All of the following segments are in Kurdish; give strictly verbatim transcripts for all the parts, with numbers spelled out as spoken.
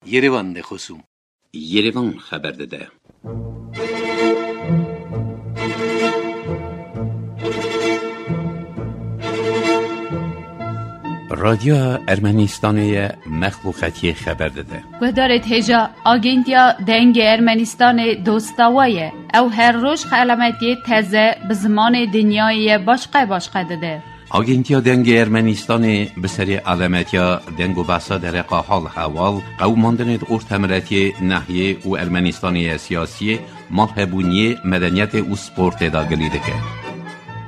Yerevan de xosûm. Yerevan xeber dide. Radyoya Ermenistanê ye, mexluqetiyê xeber dide. Guhdarê hêja, Agentiya Dengê Ermenistanê dosta we ye. Ew her roj xelametiyê teze bi zimanê dinyayê ye başqe başqe dide. Agentiya Dengê Ermenistanê bi serê alemetiya deng û behsa dereqa hal hewal, qewimandinê di ortemiletiyê, nehiyê û Ermenistanê ye siyasiyê, malhebûniyê, medeniyetê û sportê de gilî dike.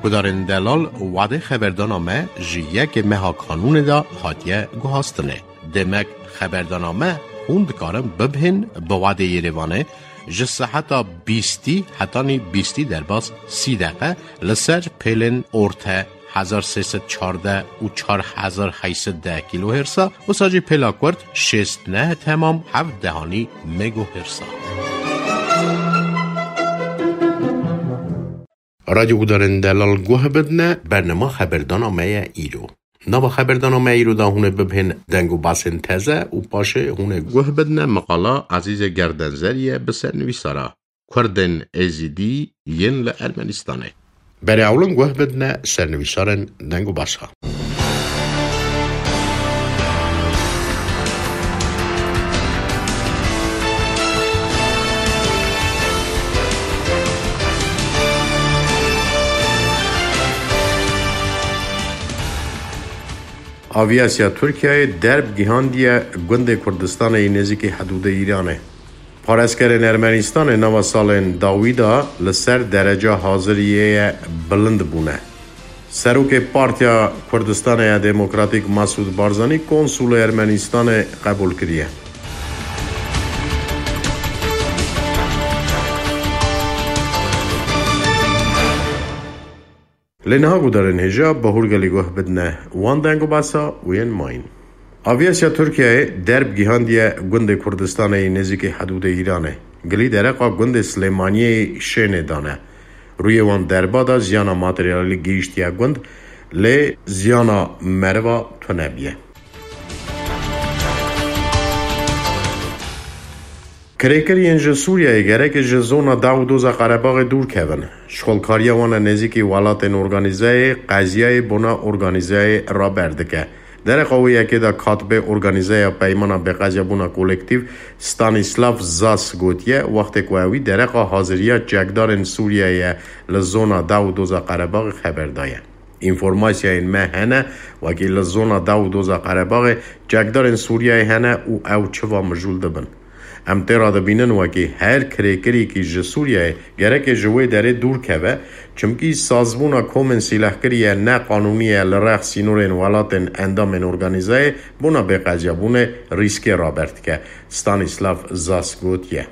Gudarên delal, wadê xeberdana me ji yekê meha kanûnê de hatiye guhastinê. Demek xeberdana me hûn dikarin bibihên bi wadê Yerevanê ji seheta bîstî hetanî bîstî derbas sî deqe li ser pêlên orte hezar sê sed çardeh û çar hezar heyt sed deh kîlohêrsa, wisa jî pêla kurt şêst neh temam heft dehanî megohêrsa. Radyo gudarên delal guh bidine, bernama xeberdana me ye îro. Nava xeberdana me îro de hûn ê bibihên deng û basên teze û paşê hûn ê guh bidine miqala Ezîzê Gerdenzerî ye bi sernivîsara Kurdên Êzîdî yên li Ermenistanê. Berê ewlin guh bidine sernivîsarên deng û basa. Aviyasiya Tirkiyeyê derb gihandiye gundê Kurdistanê yî nêzîkî hedûdê Îranê. Parêzkerên Ermenistanê nava salên dawî de li ser dereca haziriyê ye bilind bûne. Serokê Partiya Kurdistanê ya Demokratîk Masûd Barzanî konsulê Ermenistanê qebûl kiriye. Lê niha gudarên hêja bi hûrgelî guh bidine wan deng û basa û yên mayîn. Aviyasiya Tirkiyeyê derb gihandiye gundê Kurdistanê yî nêzîkî hedûdê Îranê. Gilî dereqa gundê Silêmaniyê yî Şênê dane. Rûyê wan derba de ziyana materyalî gihîştiye gund, lê ziyana meriva tune biye. Kirêkiriyên ji Sûriyeyê gerek ji zona daw û doza Qerebaxê dûr kevin. Şixulkariya wan e nêzîkî welatên organîzeyê qeziyayê bona organîzeyê raber dike. Dereqa wê yekê de katibê organîzeya Peymana Bêqeziyabûna Kolektîf Stanislav Zas gotiye, wextê ku ewî dereqa haziriya çekdarên Sûriyeyê li zona daw û doza Qerebaxê xeber daye. Înformasyayên me hene, wekî li zona daw û doza Qerebaxê çekdarên Sûriyeyê hene û ew çiva mijûl dibin. Em tê radibînin wekî her kirêkirîkî ji Sûriyeyê gereke ji wê derê dûr keve, çimkî sazbûna komên sîlehkirî ye ne qanûnî ye li rex sînorên welatên endamên organîzeyê bona bêqeziyabûnê rîskê raber dike, Stanislav Zas gotiye.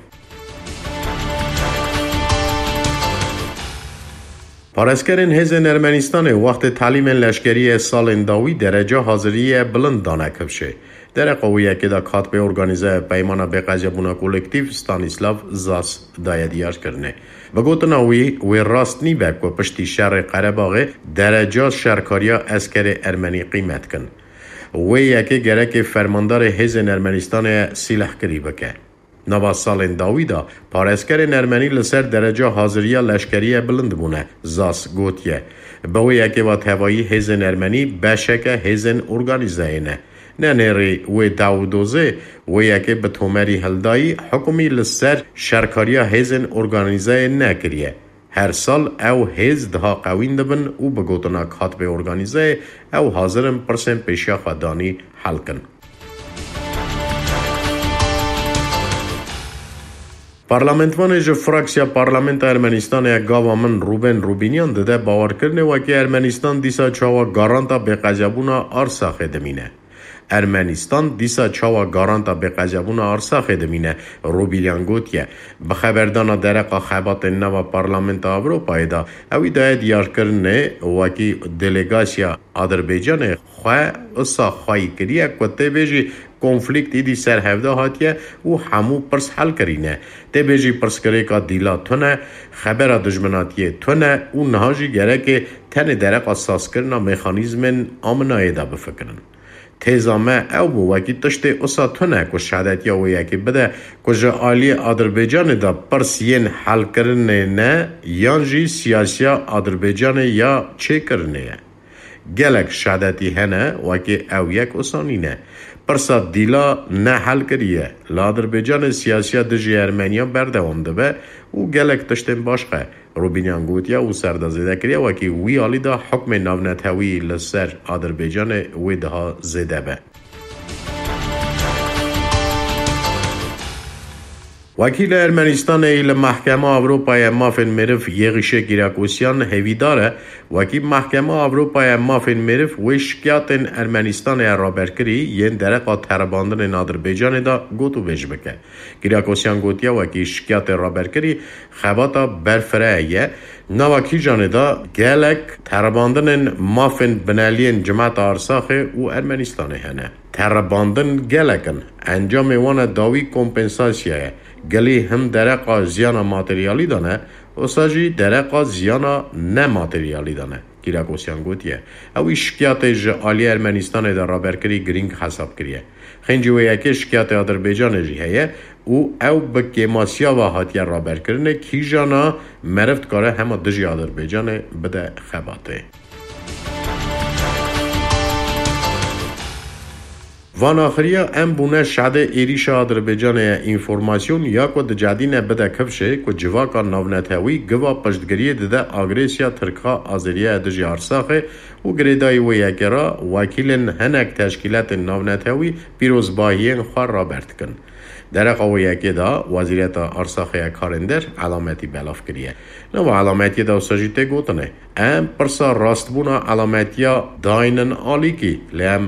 Parêzkerên hêzên Ermenistanê wextê telîmên leşkerî yê salên dawî dereca haziriyê bilind dane kifşê. Dereqa wê yekê de katibê organîzeya Peymana Bêqeziyabûna Kolektîf Stanislav Zas daye diyarkirinê. Bi gotina wî, wê rast nîbe ku piştî şerê Qerebaxê dereca şerkariya eskerê ermenî qîmet kin. Wê yekê gerekê fermandarê hêzên Ermenistanê sîlehkirî bike. Nava salên dawî de parêzkerên ermenî li ser dereca haziriya leşkeriyê bilind bûne, Zas gotiye. Bi wê yekê ve tevayî hêzên ermenî beşeke hêzên organîzeyê ne. Ne nêrî wê daw û dozê wê yekê bi tomerî hildayî, hikûmî li ser şerkariya hêzên organîzeyê nekiriye. Her sal ew hêz diha qewîn dibin û bi gotina katibê organîzeyê ew hazir in pirsên pêşiya xwe danî hel kin. Parlamentvanê ji fraksiya Parlamenta Ermenistanê ya gava min Rûben Rûbînyan dide bawerkirinê wekî Ermenistan dîsa çawa garanta bêqeziyabûna Arsaxê dimîne. Ermenistan dîsa çawa garanta bêqeziyabûna Arsaxê dimîne, Rûbînyan gotiye. Bi xeberdana dereqa xebatên nava Parlamenta Ewropayê de ewî daye diyarkirinê wekî delegasiya Adirbaycanê xwe wisa xweyî kiriye ku tê bêjî konflîkt îdî ser hevde hatiye û hemû pirs hel kirîne. Tê bêjî pirsgirêka dîla tune, xebera dijminatiyê tune û niha jî gerekê tenê dereqa sazkirina mexanîzmên aminayê de bifikirin. Têza me ew bû, wekî tiştê usa tune ku şehadetiya wê yekê bide ku ji aliyê Adirbaycanê de pirs yên helkirinê ne yan jî siyasiya Adirbaycanê ya çêkirinê ye. Gelek şehadetî hene, wekî ew yek usa nîne. Pirsa dîla ne hel kiriye. Li Adirbaycanê siyasiya dijî Ermeniyan berdewam dibe û gelek tiştên başqe. Rûbînyan gotiye û ser de zêde kiriye, wekî wî alî de hukmê navnetewî li ser Adirbaycanê wê daha zêde be. Wekîlê Ermenistanê li Mehkema Ewropa ya Mafên Meriv Yêxîşê Kîrakosyan hêvîdar e, wekî Mehkema Ewropa ya Mafên Meriv wê şikiyatên Ermenistanê ya raberkirî yên dereqa teribandinên Adirbaycanê de gotûbêj bike. Kîrakosyan gotiye, wekî şikiyatê raberkirî xebata berfireye ye. Nava kîjanê de gelek teribandinên mafên bineliyên cimeta Arsaxê û Ermenistanê hene. Teribandin gelek in. Encamê wan e dawî kompensasya ye. Gelî him dereqa ziyana materyalî de ne, wisa jî dereqa ziyana nemateryalî de ne. Kîrakosyan gotiye, ew î şikiyatê ji aliyê Ermenistanê de raberkirî girîng hesab kiriye. Xêncî wê yekê şikiyatê Adirbaycanê jî heye û ew bi kêmasiya ve hatiye raberkirinê, kîjana meriv dikare hema dijî Adirbaycanê bide xebatê. Van axiriya em bûne şedê êrîşa Adirbaycanê ye înformasyon ya ku dicedîne bide kifşê ku civaka navnetewî giva piştgiriyê dide agresiya Tirka Azeriya dijî Arsaxê û girêdayî wê yekê re wekîlên hinek teşkîletên navnetewî pîrozbahiyên xwe raber dikin. Dereqa wê yekê de Wezîreta Arsaxê ya Karên Der elametî belav kiriye. Nava elametiyê de wisa jî tê gotinê, em pirsa rastbûna elametiya daynin alîkî, lê em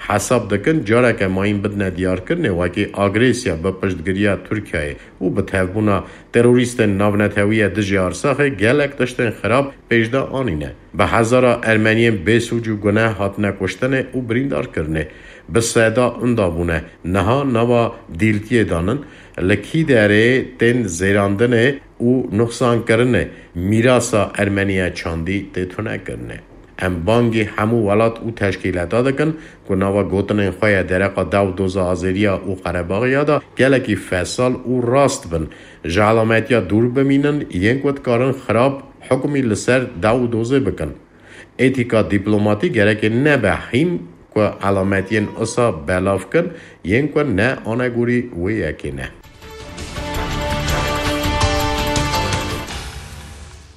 hesab dikin careke mayîn bidine diyarkirinê wekî agresiya bi piştgiriya Tirkiyeyê û bi tevbûna terorîstên navnetewî ye dijî Arsaxê gelek tiştên xirab pêş de anîne. Bi hezara Ermeniyên bêsûc û guneh hatine kuştinê û birîndarkirinê. Bi seda inda bûne. Niha nava dîltiyê danin. Li kî derê tên zêrandinê û nuxsankirinê mîrasa Ermeniye çandî tê tunekirinê. Em bangî hemû welat û teşkîleta dikin ku nava gotinên xwe ya dereqa dew doza Azeriya û Qerebaxiya de gelekî fesal û rast bin. Ji elametiya dûr bimînin, yên ku dikarin xirab hukmî li ser dew û dozê bikin. Etîka dîplomatî gereke nebe hîn ku elametiyên usa belav kin, yên ku ne anegorî wê yekê ne.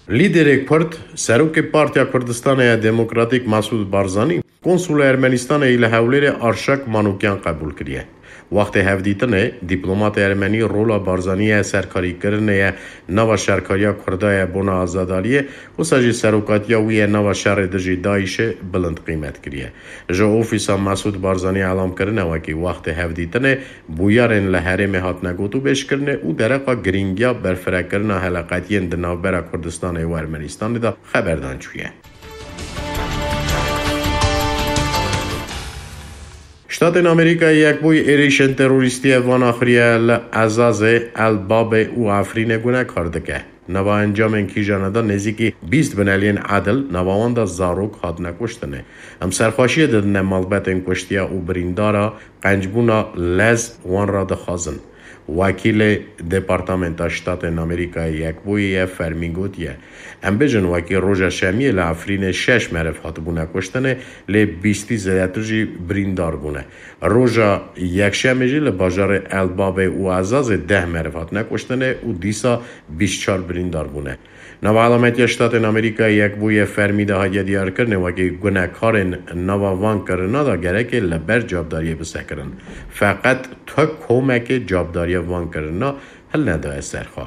Lîderê Kurd, serokê Partiya Kurdistanê ya Demokratîk Mesûd Barzanî, konsulê Ermenistanê yî li Hewlêrê Arşak Manûkyan qebûl kiriye. Wextê hevdîtinê, dîplomatê ermenî rola Barzanî ya serkarîkirinê ye nava şerkariya Kurda ye bona azadariyê, wisa jî serokatiya wî ye nava şerê dijî DAIŞê bilind qîmet kiriye. Ji ofîsa Mesûd Barzanî elam kirine wekî wextê hevdîtinê bûyerên li herêmê hatine gotûbêjkirinê û dereqa girîngiya berfirekirina heleqetiyên di navbera Kurdistanê û Ermenistanê de xeberdan çûye. Ştatên Amerîkayê Yekbûyî êrîşên terorîstî van axiriye li Ezazê, El Babê û Efrînê gunekar dike. Nava encamên kîjana de nêzîkî bîst bineliyên edil, nava wan de zarok hatine kuştinê. Em serxweşiyê didine malbetên kuştiya û birîndara, qencbûna lez wan re dixwazin. Wekîlê Departamenta Ştatên Amerîkayê Yekbûyî ye fermî gotiye, em bêjin wekî roja şemiyê li Efrînê şeş meriv hatibûne kuştinê, lê bîstî zêdetir jî birîndar bûne. Roja yekşemê jî li bajarê El Babê û Ezazê deh meriv hatine kuştinê û dîsa bîst çar birîndar bûne. Nava Elametiya Ştatên Amerîkayê Yekbûyî fermî de hatiye diyarkirinê wekî gunekarên nava van kirina de gerekê li ber cavdariyê bisekirin. Feqet tu komekê cavdariya van kirina hilnedaye ser xwe.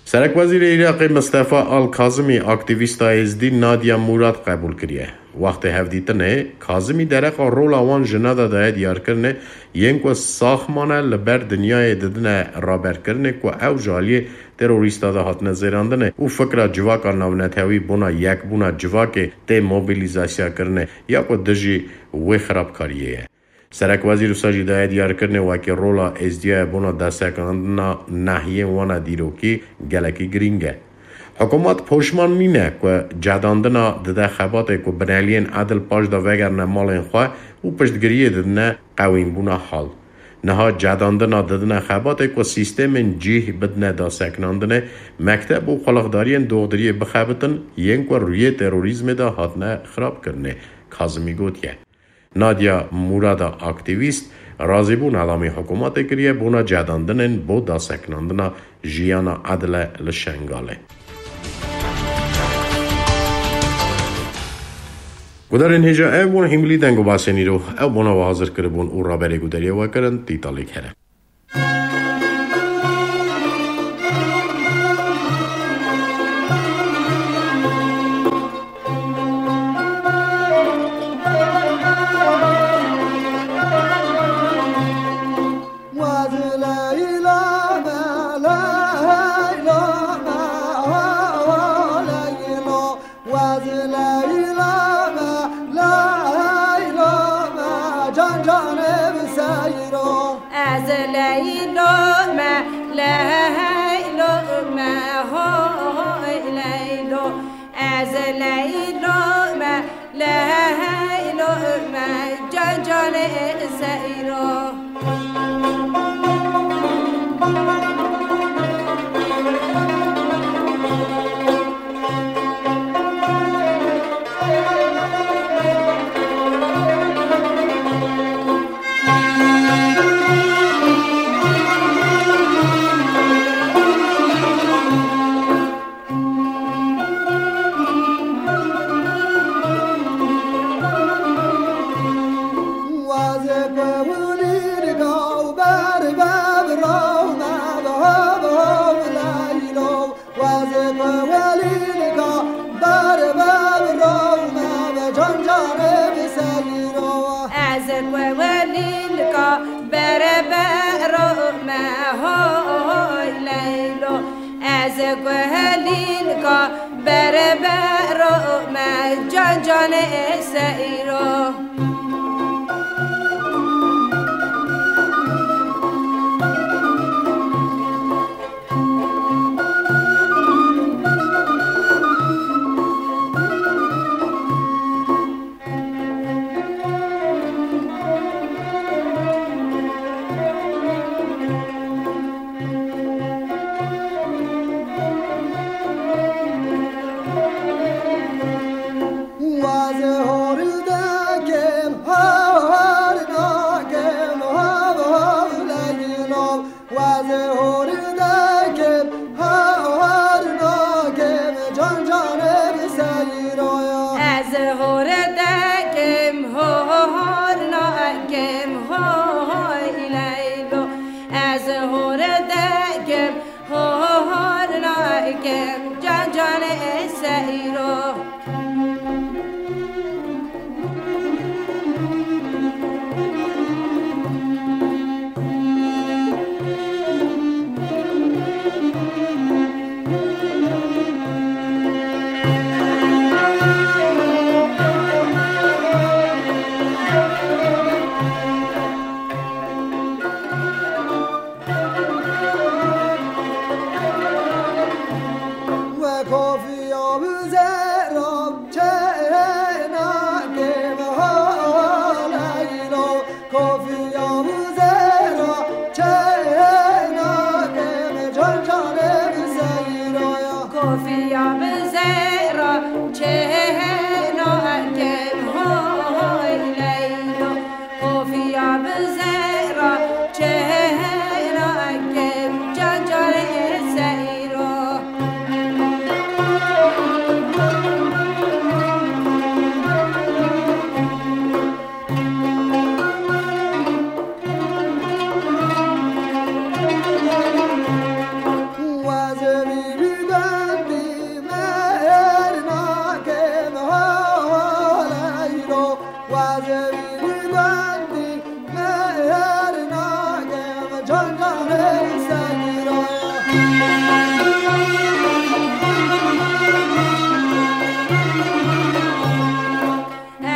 Serekwezîrê Iraqê Mistefa Al-Kazimî aktîvîsta êzdî Nadia Murad qebûl kiriye. Wextê hevdîtinê, Kazimî dereqa rola wan jina de daye diyarkirinê, yên ku sax mane li ber dinyayê didine raberkirinê ku ew ji aliyê terorîsta de hatine zêrandinê û fikra civaka navnetewî bona yekbûna civakê tê mobilîzasyakirinê ya ku dijî wê xirabkariyê ye. Serekwezîr wisa jî daye diyarkirinê wekî rola êzdiya bona destekandina nehiyên wana dîrokî gelekî girîng e. Hikûmet poşman nîne ku cedandina dide xebatê ku bineliyên edil paş de vegerine malên xwe û piştgiriyê didine qewînbûna hal. Niha cedandina didine xebatê ku sîstemên cîh bidine daseknandinê, mekteb û qulixdariyên doxdiriyê bixebitin, yên ku rûyê terorîzmê de hatine xirabkirinê. Kazimî gotiye. Nadia Murada aktîvîst razîbûna lamî hikûmetê kiriye bona cedandinên bo daseknandina jiyana edile li Şengalê. Gudarên hêja ev bûn hîmilî deng û basên îro. Ew bona we hazir kiribûn û raberê guderiyê we kirin Tîtalîk here. Wez Leyla me, Leyla me, can canê bi seyro. Ez Leylo me, Leylo me, hoy Leylo. Ez Leylo me, Leylo me, can canê seyro. Ez ku welîlka berbero me, hoy Leylo. Ez ku welîlka berbero me, can canê seyro. Ez hor dekim, hor nakim, hoy Leylo. Ez hor dekim, hor nakim, can canê seyro. Kofiya bi zehra çêna kem hoy Leylo. Kofiya bi zehra çêna kem, can canê seyro.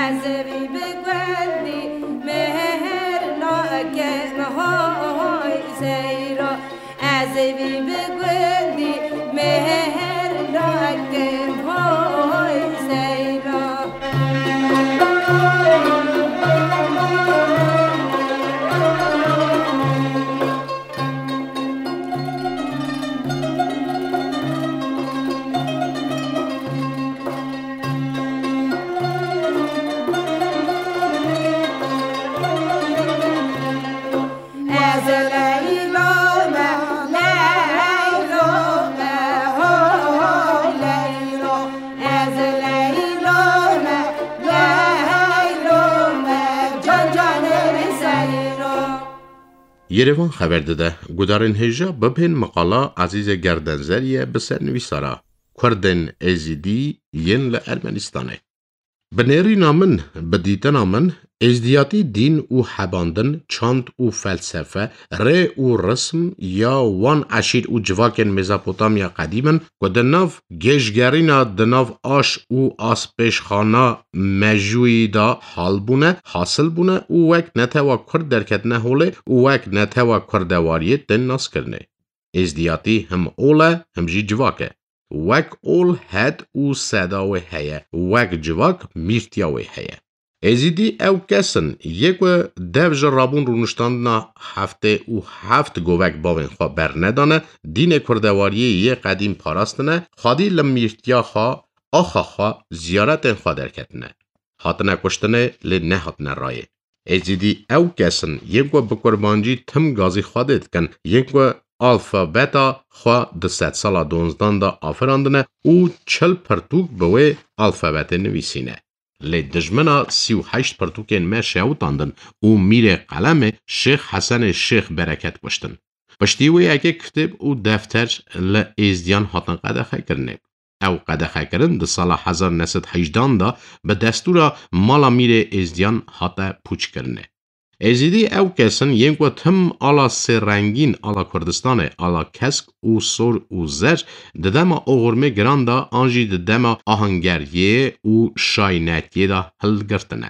Ez vî bi gundî mêr nakim, hoy Zeyro. Ez vî bi gundî mêr Yerevan xeber dide, gudarên hêja bibên miqala Ezîzê Gerdenzerî ye bi sernivîsara Kurdên Êzîdî yên li Ermenistanê. Bi nêrîna min, bi dîtina min, êzdiyatî dîn û hebandin, çand û felsefe, rê û rism ya wan eşîr û civakên Mezopotamya qedîm in ku di nav gêjgerîna di nav aş û aspêşxana mejûyî de hal bûne, hasil bûne û wek netewa Kurd derketine holê û wek netewa Kurdewariyê tên naskirinê. Êzdiyatî him ol e, him jî civak e. Wek ol het û seda wê heye, wek civak mîrtiya wê heye. Êzîdî ew kes in, yê ku dev ji rabûn rûniştandina heftê û heft govek bavên xwe bernedane, dînê kurdewariyê yê qedîm parastine, xwedî li mîrtiya xwe, axa xwe, ziyaretên xwe derketine. Hatine kuştinê, lê nehatine rayê. Êzîdî ew kes in, yên ku bi kurmancî tim gazî Xwedê dikin, yên ku alfabeta xwe di sedsala donzdan de afirandine û çil pirtûk bi wê alfabetê nivîsîne. Lê dijmina sî û heşt pirtûkên me şewitandin û mîrê qelemê Şêx Hesenê Şêx Bereket kuştin. Piştî wê yekê kitêb û defter li êzdiyan hatin qedexekirinê. Ew qedexekirin di sala hezar neh sed hejdan de bi destûra mala mîrê êzdiyan hate pûçkirinê. Êzîdî ew kes in, yên ku tim ala sêrengîn, ala Kurdistanê, ala kesk û sor û zer, di dema oxirmê giran de an jî di dema ahangeriyê û şaynetiyê de hilgirtine.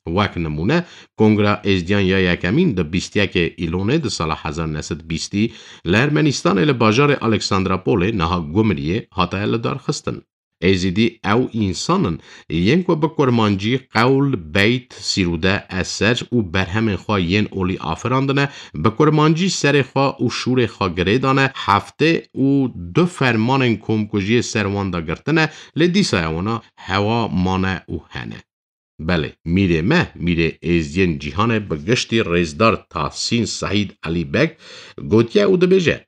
Wek nimûne, Kongra Êzdiyan ya yekemîn di bîst yekê Îlonê di sala hezar neh sed bîstî li Ermenistanê li bajarê Aleksandropolê, niha Gumriyê, hate lidarxistin. Êzîdî ew însan in, yên ku bi kurmancî qewl, beyt, sîrûde, eser û berhemên xwe yên olî afirandine, bi kurmancî serê xwe û şûrê xwe girê dane, heftê û du fermanên komkujiyê ser wan de girtine, lê dîsa ewana hewa mane û hene. Belê, mîrê me, mîrê êzdiyên cîhanê bi giştî rêzdar Tahsîn Sehîd Elî Beg gotiye û dibêje,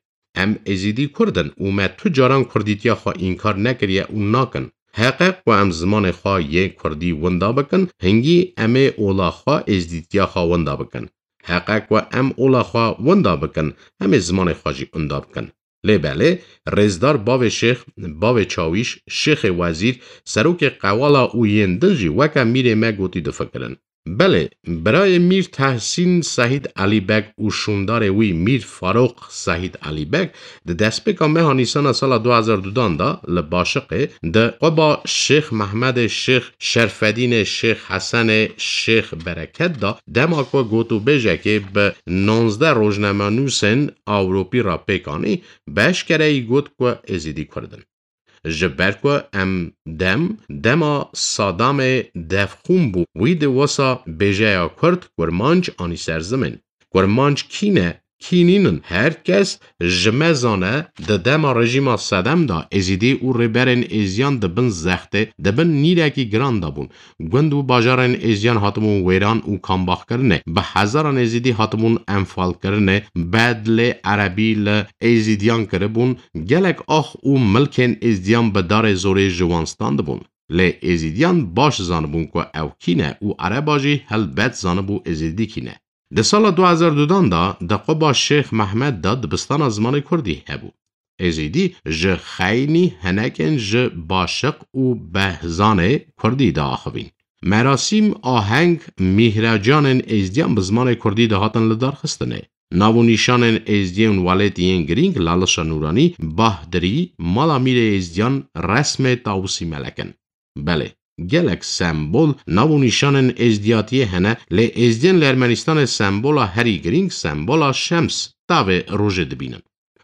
Em Êzîdî Kurd in û me tu caran kurdîtiya xwe înkar nekiriye û nakin. Heqe ku em zimanê xwe yê kurdî winda bikin, hingî em ê ola xwe êzdîtiya xwe winda bikin. Heqe ku em ola xwe winda bikin, em ê zimanê xwe jî winda bikin. Lê belê, rêzdar bavê şêx, bavê çawîş, şêxê wezîr, serokê qewala û yên din jî weke mîrê me gotî difikirin. Belê, birayê Mîr Tehsîn Sehîd Elî Beg û şûndarê wî Mîr Farok Sehîd Elî Beg di destpêka meha Nîsana sala du hezar dudan de li Başiqê di quba Şêx Mehmedê Şêx Şerfedînê Şêx Hesenê Şêx Bereket de dema ku gotûbêjekê bi nonzdeh rojnamenûsên Ewropî re pêk anî, bi eşkereyî got ku Êzîdî Kurd in. Ji ber ku em dem, dema Sadamê devxûn bû, wî di wisa bêjeya Kurd, Kurmanc anî ser zimên. Kurmanc kî ne, kî nînin? Her kes ji me zane, di dema rejîma Sedem de Êzîdî û rêberên Êziyan di bin zextê, di bin nîrekî giran de bûn. Gund û bajarên Êziyan hatibûn wêran û kambaxkirinê. Bi hezaran Êzîdî hatibûn enfalkirinê. Bedlê erebî li Êzîdiyan kiribûn. Gelek ax û milkên Êzdiyan bi darê zorê ji wan standibûn. Lê Êzîdiyan baş zanibûn ku ew kî ne û ereba jî helbet zanibû Êzîdî kî ne. Di sala du hezar dudan de di quba Şêx Mehmed de dibistana zimanê kurdî hebû. Êzîdî ji xeynî hinekên ji Başiq û Behzanê kurdî diaxivîn. Merasîm, aheng, mîhrecanên êzdiyan bi zimanê kurdî dihatin lidarxistinê. Nav û nîşanên êzdiyên welatî yên girîng, Lalişa Nûranî, Bahdirî, mala mîrê êzdiyan, resmê Tawusî Melek in. Belê, gelek sembol, nav û nîşanên êzdiyatiyê hene, lê êzdiyên li Ermenistanê sembola herî girîng sembola şems, tavê rojê dibînin.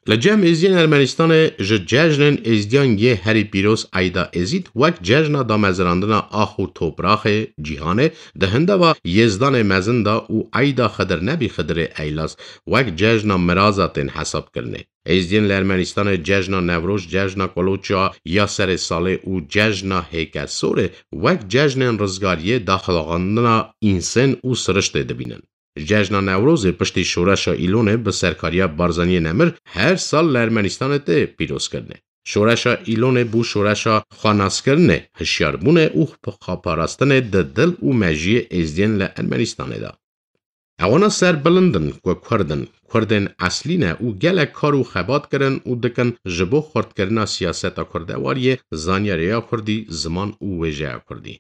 Li cem êzdiyên Ermenistanê ji cejnên êzdiyan yê herî pîroz Eyda Êzîd wek cejna damezrandina ax û topraxê cîhanê di hindava Yêzdanê Mezin de û Eyda Xidir Nebî Xidirê Eylaz wek cejna miraza tên hesabkirinê. Êzdiyên li Ermenistanê cejna Newroz, cejna Koloça ya serê salê û cejna Hêkesorê wek cejnên rizgariyê, daxilxandina însên û siriştê dibînin. Cejna Newrozê piştî Şoreşa Îlonê bi serkariya Barzaniyê Nemir her sal li Ermenistanê tê pîrozkirinê. Şoreşa Îlonê bû şoreşa xwennaskirinê, hişyarbûnê û xweparastinê di dil û mejiyê êzdiyên li Ermenistanê de. Ewana serbilind in ku Kurd in, Kurdên eslî ne û gelek kar û xebat kirin û dikin ji bo xurtkirina siyaseta kurdewariyê, zanyarê ya kurdî, ziman û wêjeya kurdî.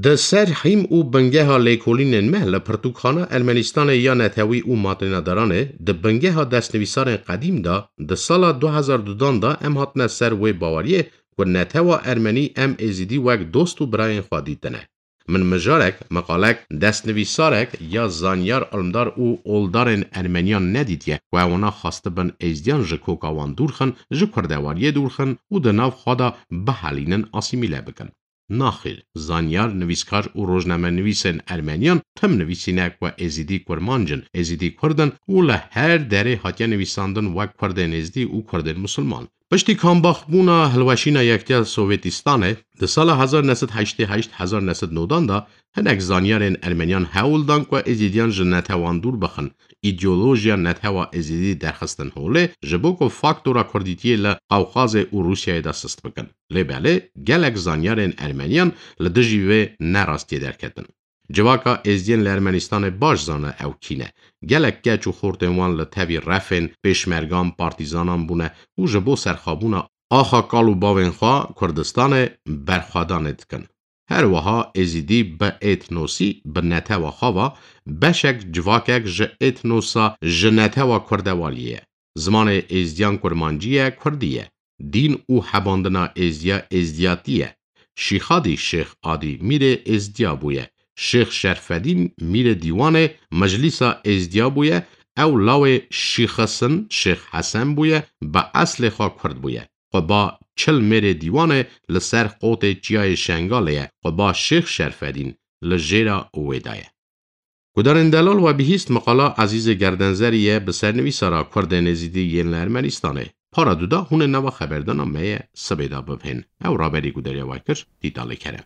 Di ser hîm û bingeha lêkolînên me li pirtûkxana Ermenistanê ya netewî û matênadaranê, di bingeha destnivîsarên qedîm de, di sala du hezar dudan de em hatine ser wê baweriyê ku netewa ermenî em êzidî wek dost û birayên xwe dîtine. Min mijarek, meqalek, destnivîsarek ya zanyar, ilmdar û oldarên ermeniyan nedîtiye ku ewana xwestibin êzdiyan ji koka wan dûr xin, ji kurdewariyê dûr xin û di nav xwe de bihelînin, asîmîle bikin. Naxêr, zanyar, nivîskar û rojnamenivîsên ermeniyan tim nivîsîne ku êzidî kurmanc in, êzidî kurd in û li her derê hatiye nivîsandin wek kurdên êzdî û kurdên misilman. Piştî kambaxbûna hilweşîna Yektiya Sovêtîstanê, di sala hezar neh sed heştê heşt hezar neh sed nodan de hinek zanyarên ermeniyan hewl dan ku êzîdiyan ji netewan dûr bixin, îdeolojiya netewa êzîdî derxistin holê, ji bo ku faktora kurdîtiyê li Qewqazê û Rûsyayê de sist bikin. Lê belê, gelek zanyarên ermeniyan li dijî vê nerastiyê derketin. Civaka êzdiyên li Ermenistanê baş zane ew kî ne. Gelek keç û xortên wan li tevî refên pêşmergan, partîzanan bûne û ji bo serxwebûna axa kal û bavên xwe Kurdistanê berxwedanê dikin. Her wiha êzîdî bi etnosî, bi netewa xwe ve beşek, civakek ji etnosa, ji netewa kurdewariyê ye. Zimanê êzdiyan kurmancî ye, kurdî ye. Dîn û hebandina êzdiya êzdiyatî ye. Şîxadî Şêx Adî mîrê êzdiya bûye. Şêx Şerfedîn mîrê dîwanê meclîsa êzdiya bûye. Ew lawê Şîxis in, Şêx Hesen bûye, bi eslê xwe kurd bûye. Quba Çil mêrê dîwanê li ser qotê Çiyayê Şengalê ye. Quba Şêx Şerfedîn li jêra wê de ye. Gudarên delal, we bihîst meqala Ezîzê Gerdenzerî ye, bi sernivîsara Kurdên Êzîdî yên li Ermenistanê. Para du de hûn ê nava xeberdana me ye sibê de bibihên. Ew raberî gudariya we kir, Dîtalê Kerem.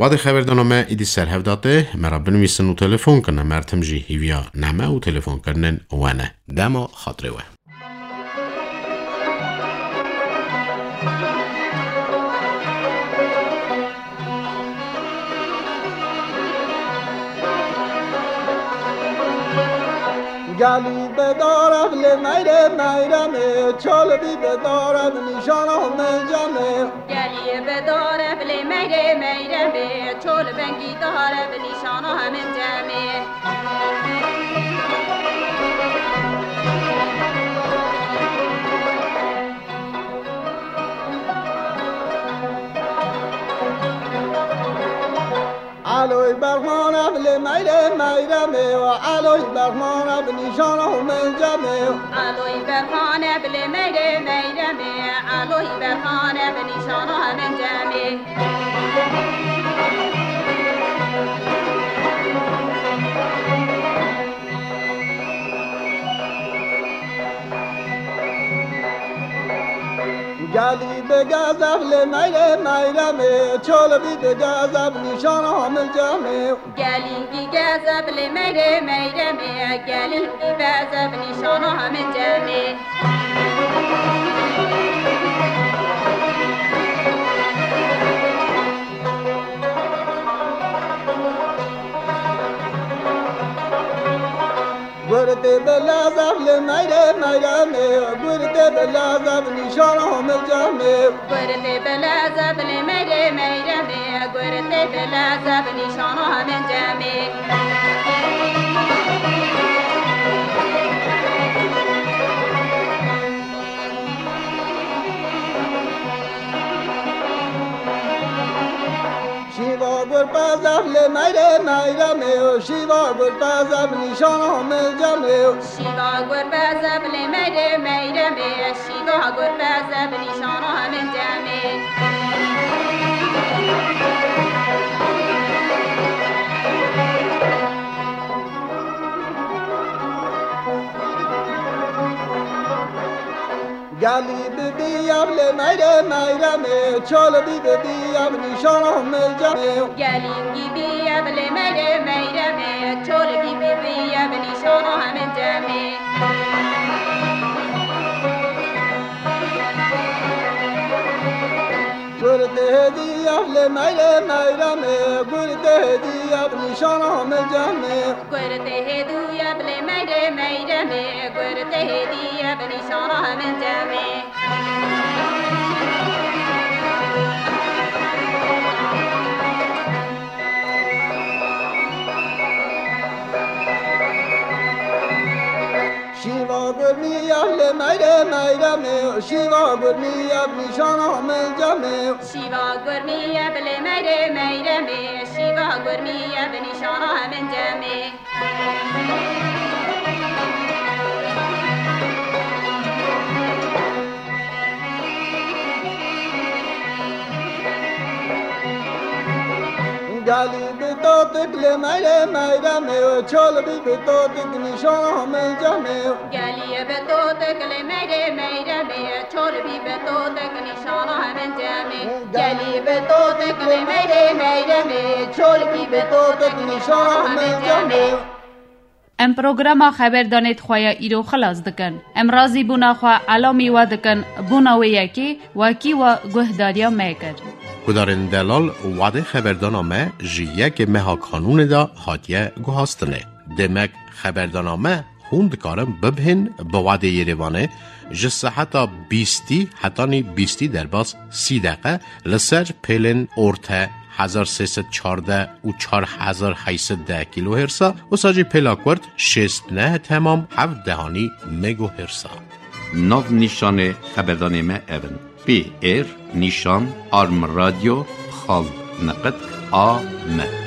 Wadê xeberdana me îdî ser hev da tê, me re binivîsin û telefon kin, em her tim jî hîviya name û telefonkirinên we ne. Dema xatirê we. Gelî bedar ev lê meyrê meyremê, çol bî bedar ev nîşana min cemê. Gelî bedar ev lê meyrê meyremê, çol bengî dar ev nîşana min cemê. Eloy berxan ev lê meyrê meyremê, eloy berxan ev nîşana min cemê. Eloy berxan ev lê meyrê meyremê, eloy berxan ev nîşana min cemê. Gelî bi gezev lê meyrê meyremê, çol bî bi gezev nîşana min cemê. Gelî bi gezev lê meyrê meyremê, gelî bi gezev nîşana min cemê. Gurtê bi lezev li meyrê meyremê, gurtê bi lezev nîşana min cemê. Gurtê bi lezev li meyrê meyremê, gurtê bi lezev nîşana min cemê. Şîva gur bezev li meyrê meyremê, şîva gur bezev nîşana min cemê. Şîva gur bezev li meyrê meyremê, şîva gur bezev nîşana min cemê. Gelî bibî ev li meyrê meyremê, çol bî bibî ev nîşana min cemê. Gelî bibî ev li meyrê meyremê, çol bî bibî ev nîşana min cemê. Gurtê hêdî ev li meyrê meyremê, gurtê hêdî ev nîşana min cemê. Gurtê hêdî ev li meyrê meyremê, gurtê hêdî ev nîşana min cemê. Şîva gurmî ev li meyrê meyremê, şîva gurmî ev nîşana min cemê. Şîva gurmî ev li meyrê meyremê, şîva gurmî ev nîşana min cemê. Gelî bi totik li meyrê meyremê, çol bî bi totik nîşana min cemê. Gelî bi totik li meyrê meyremê, çol bî bi totik nîşana min cemê. Gelî bi totik li meyrê meyremê, çol bî bi totik nîşana min cemê. Em programa xeberdanê di xwe ya îro xilas dikin. Em razîbûna xwe elamî we dikin bona wê yekê wekî we guhdariya me kir. Guhdarên delal, wadê xeberdana me ji yekê meha Kanûnê de hatiye guhastinê. Demek xeberdana me hûn dikarin bibihên bi wadê Yerêvanê ji seheta bîstî hetanî bîstî derbas sî deqe li ser pêlên orte hezar sê sed çardeh û çar hezar heyt sed deh kîlohêrsa, wisa jî pêla kurt şêst neh temam hevt dehanî megohêrsa. Nav nîşanê xeberdanê me ev in: P R nîşan arm radyo xal niqit A M.